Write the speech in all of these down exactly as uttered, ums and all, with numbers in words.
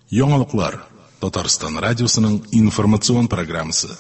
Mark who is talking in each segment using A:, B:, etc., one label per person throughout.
A: Яңалыклар Татарстан радиосының информацион программасы.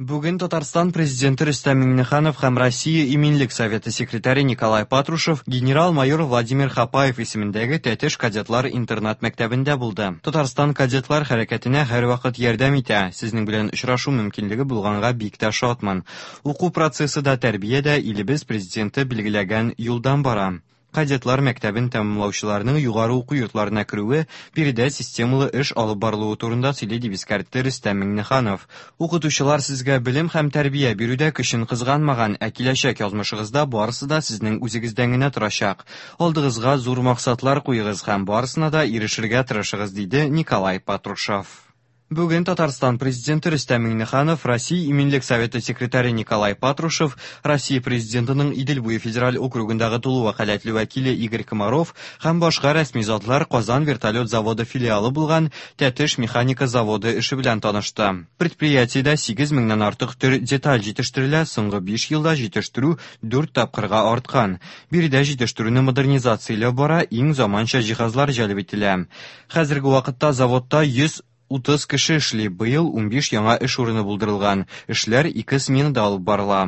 B: Бүген Татарстан президенты Рөстәм Миңнеханов һәм Россия Иминлек советы секретаре Николай Патрушев генерал-майор Владимир Хапаев исемендәге Тәтеш кадетлар интернат мәктәбендә булды. Татарстан кадетлар хәрәкәтенә һәрвакыт ярдәм итә. Сезнең белән очрашу мөмкинлеге булганга бик тә шатмын. Уку процессы да, тәрбия дә илебез президенты билгеләгән юлдан бара. Кадетлар мәктәбен тәмамлаучыларның югары уку йортларына керүе биредә системалы эш алып барылуы турында сөйли, дип искәртте Рөстәм Миңнеханов. Укытучылар сезгә белем һәм тәрбия бирүдә көчен кызганмаган, ә киләчәк язмышыгызда барысы да сезнең үзегездән генә торачак. Алдыгызга зур максатлар куегыз һәм барысына да ирешергә тырышыгыз, диде Николай Патрушев. Бүген Татарстан президенты Рөстәм Миңнеханов, Россия Иминлек советы секретаре Николай Патрушев, Россия президентының Идел буе федераль округындагы тулы вәкаләтле вәкиле Игорь Комаров һәм башка рәсми затлар Казан вертолет заводы филиалы булган Тәтеш механика заводы эше белән танышты. Предприятиедә сигез меңнән артык төр деталь җитештерелә, соңгы биш елда җитештерү дүрт тапкырга арткан. Биредә җитештерүне модернизацияләү бара, иң заманча җиһазлар җәлеп ителә. Хәзерге вакытта заводта йөз утыз кеше эшли, быел унбиш яңа эш урыны булдырылган. Эшләр ике сменада алып барыла.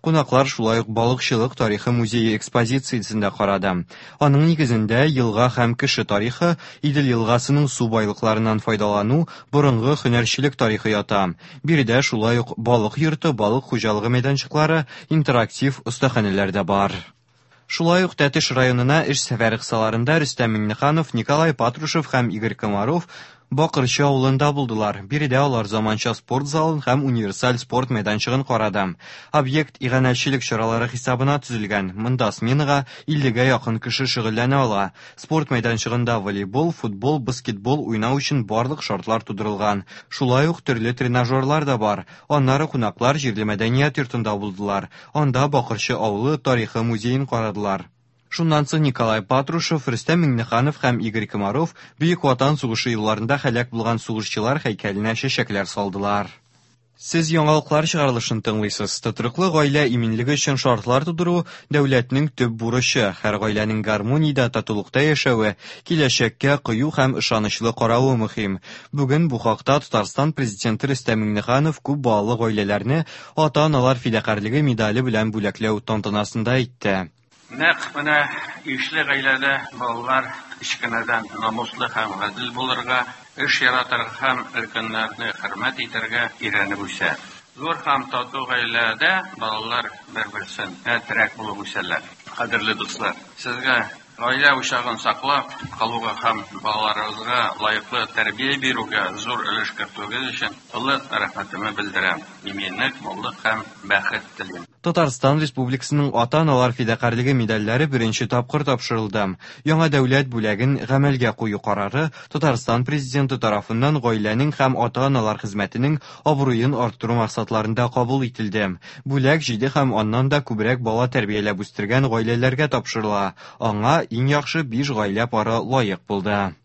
B: Кунаклар шулай ук балыкчылык тарихы музее экспозициясен дә карады. Аның нигезендә елга һәм кеше тарихы, Идел елгасының су байлыкларыннан файдалану, борынгы һөнәрчелек тарихы ята. Биредә шулай ук балык йорты, балык хуҗалыгы мәйданчыклары, интерактив остаханәләр дә бар. Шулай ук Тәтеш районына эш сәфәре кысаларында Рөстәм Миңнеханов, Николай Патрушев һәм Игорь Комаров Бакырчы авылында булдылар. Биредә алар заманча спорт залын һәм универсаль спорт мәйданчыгын карады. Объект иганәчелек чаралары хисабына төзелгән. Монда сменага иллегә якын кеше шөгыльләнә ала. Спорт мәйданчыгында волейбол, футбол, баскетбол уйнау өчен барлык шартлар тудырылган. Шулай ук төрле тренажерлар да бар. Аннары кунаклар җирле мәдәният йортында булдылар. Анда Бакырчы авылы тарихы музеен карадылар. Шуннан соң Николай Патрушев, Рөстәм Миңнеханов һәм Игорь Комаров Бөек Ватан сугышы елларында һәлак булган сугышчылар һәйкәленә чәчәкләр салдылар. Сез яңалыклар чыгарылышын тыңлыйсыз. Тотрыклы гаилә иминлеге өчен шартлар тудыру дәүләтнең төп бурычы. Һәр гаиләнең гармониядә, татулыкта яшәве, киләчәккә кыю һәм ышанычлы каравы мөһим. Бүген бу хакта Татарстан президенты Рөстәм Миңнеханов күп балалы гаиләләрне ата-аналар фидакарьлеге медале белән бүләкләү тантанасында әйтте.
C: Нәкъ менә ишле гаиләдә балалар кечкенәдән намуслы һәм гадел булырга, эш яратырга һәм өлкәннәрне хөрмәт итәргә өйрәнеп үсә. Зур һәм тату гаиләдә балалар бер-берсенә терәк булып үсәләр. Кадерле дуслар, сезгә гаилә учагын саклап калуга һәм балаларыгызга лаеклы тәрбия бирүгә зур өлеш кертүегез өчен олы рәхмәтемне белдерәм. Иминлек, муллык һәм бәхет телим.
B: Татарстан Республикасының ата-аналар фидакарьлеге медальләре беренче тапкыр тапшырылды. Яңа дәүләт бүләген гамәлгә кую карары Татарстан президенты тарафыннан гаиләнең һәм ата-аналар хезмәтенең абруен арттыру максатларында кабул ителде. Бүләк җиде һәм аннан да күбрәк бала тәрбияләп үстергән гаиләләргә тапшырыла. Аңа иң яхшы биш гаилә пары лаек булды.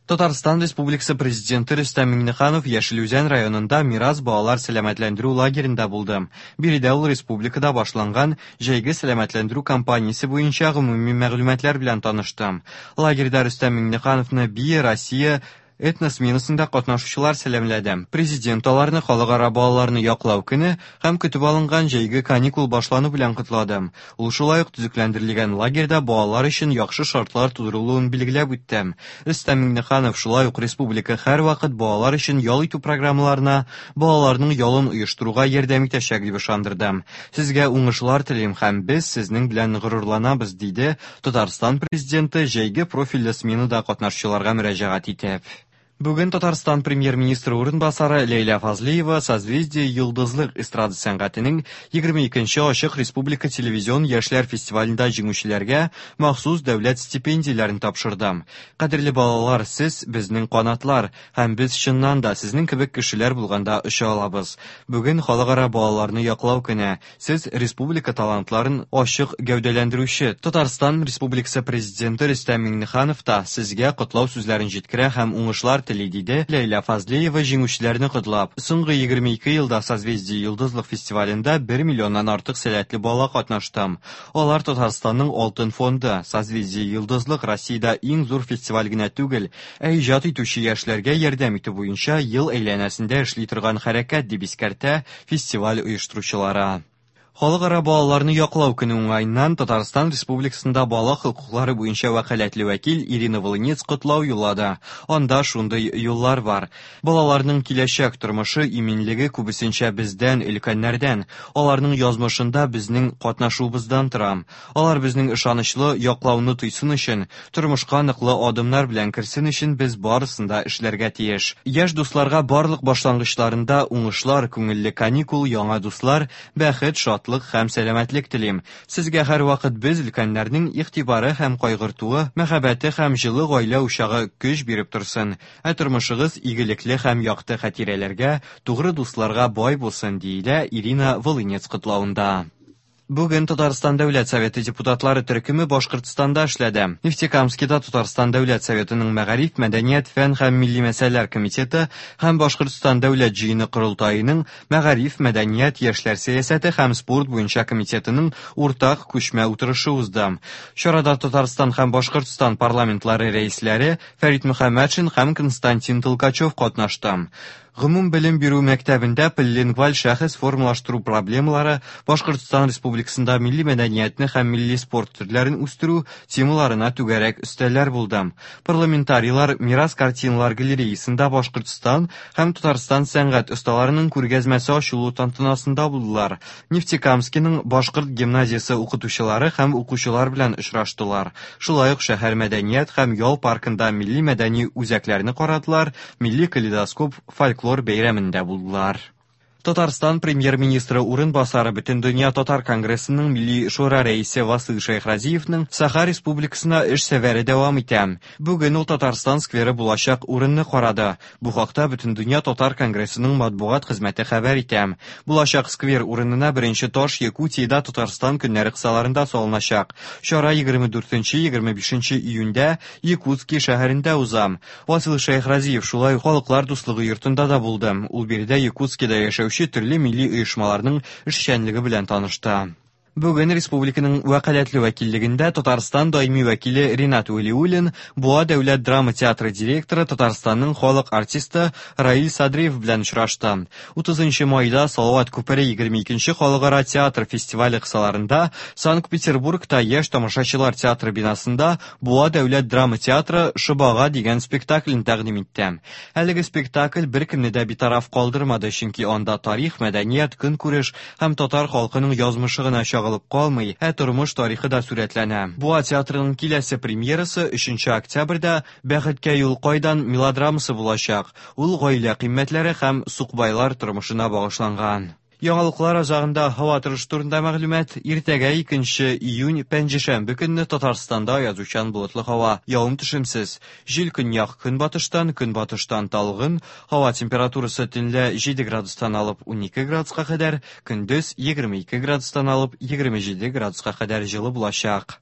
B: Татарстан Республикасы президенты Рөстәм Миңнеханов Яшел Үзән районында Мирас балалар сәламәтләндерү лагеренда булды. Биредә ул республикада башланган җәйге сәламәтләндерү кампаниясе буенча гомуми мәгълүматлар белән танышты. Лагерьда Рөстәм Миңнехановны Бия Россия этносменасында катнашучылар сәламләде. Президент аларны халыкара балаларны яклау көне һәм көтеп алынган җәйге каникул башлану белән котлады. Ул шулай ук төзекләндерелгән лагерьда балалар өчен яхшы шартлар тудырылуын билгеләп үтте. Рөстәм Миңнеханов шулай ук республика һәрвакыт балалар өчен ял итү программаларына, балаларның ялын оештыруга ярдәм итәчәк дип ышандырды. Сезгә уңышлар телим һәм без сезнең белән горурланабыз, диде Татарстан президенты җәйге профильле сменада катнашучыларга мөрәҗәгать итеп. Бүген Татарстан премьер-министры урынбасары Ләйлә Фазлиева Созвездие Йолдызлык эстрада сәнгатенең егерме икенче ачык республика телевизион яшьләр фестивалендә җиңүчеләргә махсус дәүләт стипендияләрен тапшырды. Кадерле балалар, сез безнең канатлар һәм без чыннан да сезнең кебек кешеләр булганда оча алабыз. Бүген халыкара балаларны яклау көне. Сез республика талантларын ачык гәүдәләндерүче Татарстан Республикасы президенты Рөстәм Миңнеханов та сезгә котлау сүзләрен җиткерә һәм уңышлар тели, диде Ләйлә Фазлеева җиңүчеләрне котлап. Соңгы егерме ике елда Созвездие-Йолдызлык фестивалендә бер миллионнан артык сәләтле бала катнашты. Алар Татарстанның алтын фонды. Созвездие-Йолдызлык Россиядә иң зур фестиваль генә түгел, ә иҗат итүче яшьләргә ярдәм итү буенча ел әйләнәсендә эшли торган хәрәкәт, дип искәртә фестиваль оештыручылары. Халыкара балаларны яклау көне уңаеннан Татарстан Республикасында бала хокуклары буенча вәкаләтле вәкил Ирина Волынец котлау юллады. Анда шундый юллар бар. Балаларның киләчәк тормышы иминлеге күбесенчә бездән, өлкәннәрдән, аларның язмышында безнең катнашуыбыздан тора. Алар безнең ышанычлы яклауны тойсын өчен, тормышка ныклы адымнар белән керсен өчен без барысын да эшләргә тиеш. Яшь дусларга барлык башлангычларында уңышлар, күңелле каникул, яңа дуслар, бәхет, шатлык һәм сәламәтлек телим. Сезгә һәр вакыт без өлкәннәрнең игътибары һәм кайгыртуы, мәхәббәте һәм җылы гаилә учагы көч биреп торсын. Ә тормышыгыз игелекле һәм якты хатирәләргә, тугры дусларга бай булсын, диелә Ирина Волынец котлавында. Бүген Татарстан Дәүләт Советы депутатлары төркеме Башкортстанда эшләде. Нефтекамскида Татарстан Дәүләт Советының Мәгариф, Мәдәният, Фән һәм Милли мәсьәләләр комитеты һәм Башкортстан Дәүләт җыены корылтаеның Мәгариф, Мәдәният, Яшьләр сәясәте һәм спорт буенча комитетының уртак күчмә утырышы узды. Чарада Татарстан һәм Башкортстан парламентлары рәисләре Фәрит Мөхәммәтшин һәм Константин Толкачев катнашты. Гомум белем бирү мәктәбендә полилингваль шәхес формалаштыру проблемалары, Башкортстан Республикасында милли мәдәниятне һәм милли спорт төрләрен үстерү темаларына түгәрәк өстәлләр булды. Парламентарийлар Мирас картиналар галереясында Башкортстан һәм Татарстан сәнгать осталарының күргәзмәсе ачылу тантанасында булдылар. Нефтекамскиның Башкорт гимназиясе укытучылары һәм укучылар белән очраштылар. Шулай ук шәһәр мәдәният һәм ял паркында милли мәдәни үзәкләрне карадылар, милли калейдоскоп фольклор бәйрәмендә булдылар. Татарстан премьер-министры урынбасары Бөтендөнья татар конгрессының Милли шура рәисе Васил Шәйхразиевның Саха Республикасына эш сәфәре дәвам итә. Бүген ул Татарстан скверы булачак урынны карады. Бу хакта Бөтендөнья татар конгрессының матбугат хезмәте хәбәр итә. Булачак сквер урынына беренче таш Якутиядә Татарстан көннәре кысаларында салыначак. Чара егерме дүртенче егерме бишенче июньдә Якутски шәһәрендә уза. Васил Шәйхразиев шулай ук Халыклар дуслыгы йортында да булды. Ул биредә Якутскида яшәүче төрле милли оешмаларның эшчәнлеге белән танышты. Бүген республиканың вәкаләтле вәкиллегендә Татарстан даими вәкиле Ринат Вәлиуллин, Буа дәүләт драма театры директоры, Татарстанның халык артисты Раил Садриев белән очрашты. утызынчы майда Салават күпере егерме икенче халыкара театр фестивале кысаларында Санкт-Петербургта яшь тамашачылар театры бинасында Буа дәүләт драма театры Шыбага дигән спектаклен тәкъдим итте. Әлеге спектакль беркемне дә битараф калдырмады, чөнки анда тарих, мәдәният, көнкүреш һәм татар халкының язмышы гына чагылып калмый, ә тормыш тарихы да сурәтләнә. Буа театрының киләсе премьерасы өченче октябрьдә Бәхеткә юл кайдан мелодрамасы булачак. Ул гаилә кыйммәтләре һәм сукбайлар тормышына багышланган. Яңалыклар азагында һава торышы турында мәгълүмат. Иртәгә икенче июнь пәнҗешәмбе көнне Татарстанда аязучан болытлы һава, явым-төшемсез. Җил көньяк көнбатыштан, көнбатыштан талгын, һава температурасы төнлә җиде градустан алып унике градуска кадәр, көндез егерме ике градустан алып егерме җиде градуска кадәр җылы булачак.